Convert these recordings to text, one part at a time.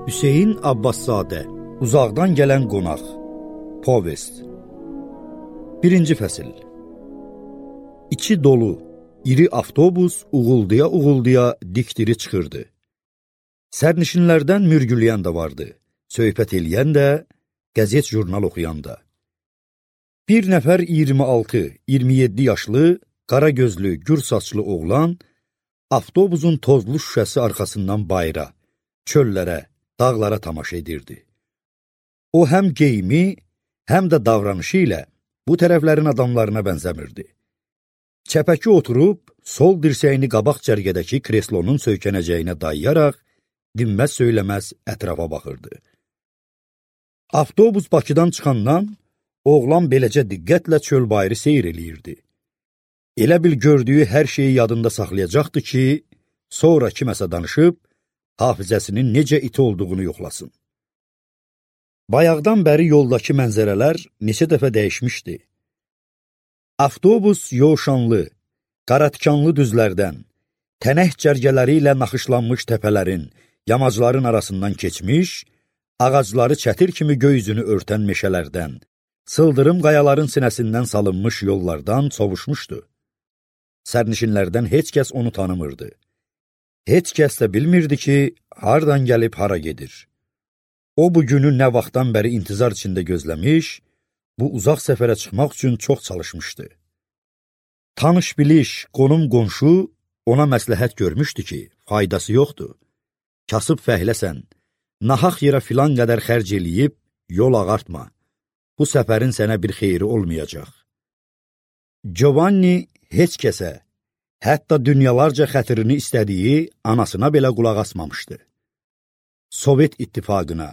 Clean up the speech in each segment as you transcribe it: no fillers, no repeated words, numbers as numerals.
Hüseyn Abbaszadə, Uzaqdan gələn qonaq. Povest. 1-ci fəsil. İçi dolu, iri avtobus uğulduya-uğulduya dikdiri çıxırdı. Sərnişinlərdən mürgüləyən də vardı, söhbət eləyən də, qəzet jurnal oxuyan da. Bir nəfər 26-27 yaşlı, qara gözlü, gür saçlı oğlan avtobusun tozlu şüşəsi arxasından bayıra, çöllərə, dağlara tamaşa edirdi. O həm geyimi, həm də davranışı ilə bu tərəflərin adamlarına bənzəmirdi. Çəpəki oturub, sol dirsəyini qabaq cərgədəki kreslonun söykənəcəyinə dayayaraq, dinməz söyləməz ətrafa baxırdı. Avtobus Bakıdan çıxandan, oğlan beləcə diqqətlə çöl bayırı seyr eləyirdi. Elə bil gördüyü hər şeyi yadında saxlayacaqdı ki, sonra kiməsə danışıb, hafizəsinin necə iti olduğunu yoxlasın. Bayaqdan bəri yoldakı mənzərələr neçə dəfə dəyişmişdi. Avtobus yoğuşanlı, qaratikanlı düzlərdən, tənək cərgələri ilə naxışlanmış təpələrin, yamacların arasından keçmiş, ağacları çətir kimi göy üzünü örtən meşələrdən, sıldırım qayaların sinəsindən salınmış yollardan sovuşmuşdu. Sərnişinlərdən heç kəs onu tanımırdı. Heç kəs də bilmirdi ki, hardan gəlib hara gedir. O bu günü nə vaxtdan bəri intizar içində gözləmiş, bu uzaq səfərə çıxmaq üçün çox çalışmışdı. Tanış-biliş, qonum-qonşu ona məsləhət görmüşdü ki, faydası yoxdur. Kasıb fəhləsən, nahaq yerə filan qədər xərc eləyib, yol ağartma. Bu səfərin sənə bir xeyri olmayacaq. Giovanni heç kəsə, hətta dünyalarca xətrini istədiyi anasına belə qulaq asmamışdı. Sovet İttifaqına,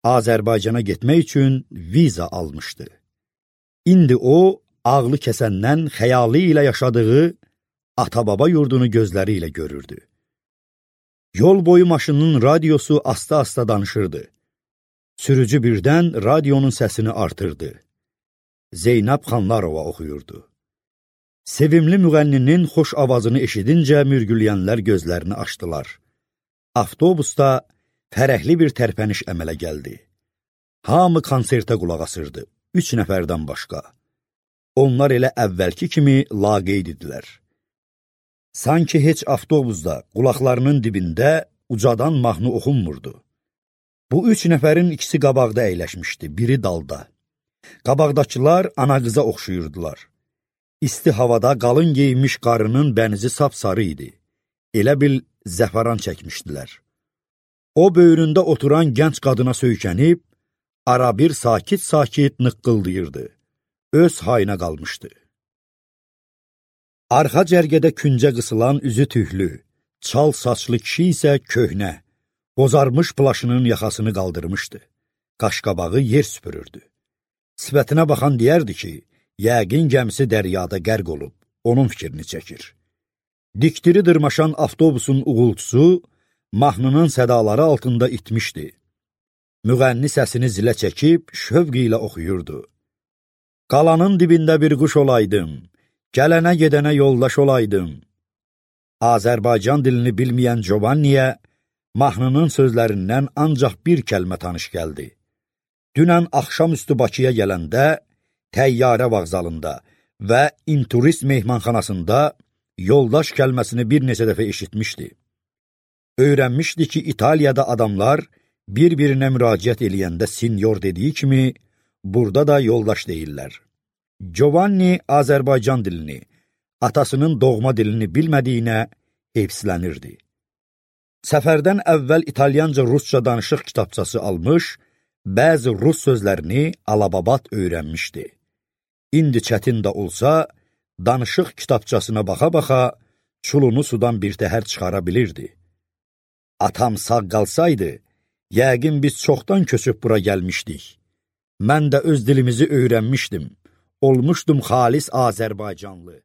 Azərbaycana getmək üçün viza almışdı. İndi o, ağlı kəsəndən xəyalı ilə yaşadığı ata-baba yurdunu gözləri ilə görürdü. Yol boyu maşının radiosu asta-asta danışırdı. Sürücü birdən radionun səsini artırdı. Zeynəb Xanlarova oxuyurdu. Sevimli müğənninin xoş avazını eşidincə mürgüləyənlər gözlərini açdılar. Avtobusda fərəhli bir tərpəniş əmələ gəldi. Hamı konsertə qulaq asırdı, 3 nəfərdən başqa. Onlar elə əvvəlki kimi laqeyd idilər. Sanki heç avtobusda qulaqlarının dibində ucadan mahnı oxunmurdu. Bu 3 nəfərin ikisi qabaqda əyləşmişdi, biri dalda. Qabaqdakılar ana qıza oxşuyurdular. İsti havada qalın geyinmiş qarının bənizi sapsarı idi. Elə bil zəfəran çəkmişdilər. O böyründə oturan gənc qadına söykənib, arabir sakit-sakit nıqqıldayırdı. Öz hayına qalmışdı. Arxa cərgədə küncə qısılan üzü tühlü, çal saçlı kişi isə köhnə, bozarmış plaşının yaxasını qaldırmışdı. Qaşqabağı yer süpürürdü. Sifətinə baxan deyərdi ki, yəqin gəmisi dəryada qərq olub, onun fikrini çəkir. Dikdiri dırmaşan avtobusun uğultusu, mahnının sədaları altında itmişdi. Müğənni səsini zilə çəkib, şövq ilə oxuyurdu. Qalanın dibində bir quş olaydım, gələnə gedənə yoldaş olaydım. Azərbaycan dilini bilməyən Giovanniyə, mahnının sözlərindən ancaq bir kəlmə tanış gəldi. Dünən axşamüstü Bakıya gələndə, təyyarə vağzalında və inturist mehmanxanasında yoldaş kəlməsini bir neçə dəfə eşitmişdi. Öyrənmişdi ki, İtaliyada adamlar bir-birinə müraciət eləyəndə sinyor dediyi kimi, burada da yoldaş deyirlər. Giovanni Azərbaycan dilini, atasının doğma dilini bilmədiyinə heyfsilənirdi. Səfərdən əvvəl İtalyanca-Rusça danışıq kitabçası almış, bəzi rus sözlərini alababat öyrənmişdi. İndi çətin də olsa, danışıq kitabçasına baxa-baxa, çulunu sudan birtəhər çıxara bilirdi. Atam sağ qalsaydı, yəqin biz çoxdan köçüb bura gəlmişdik. Mən də öz dilimizi öyrənmişdim, olmuşdum xalis Azərbaycanlı.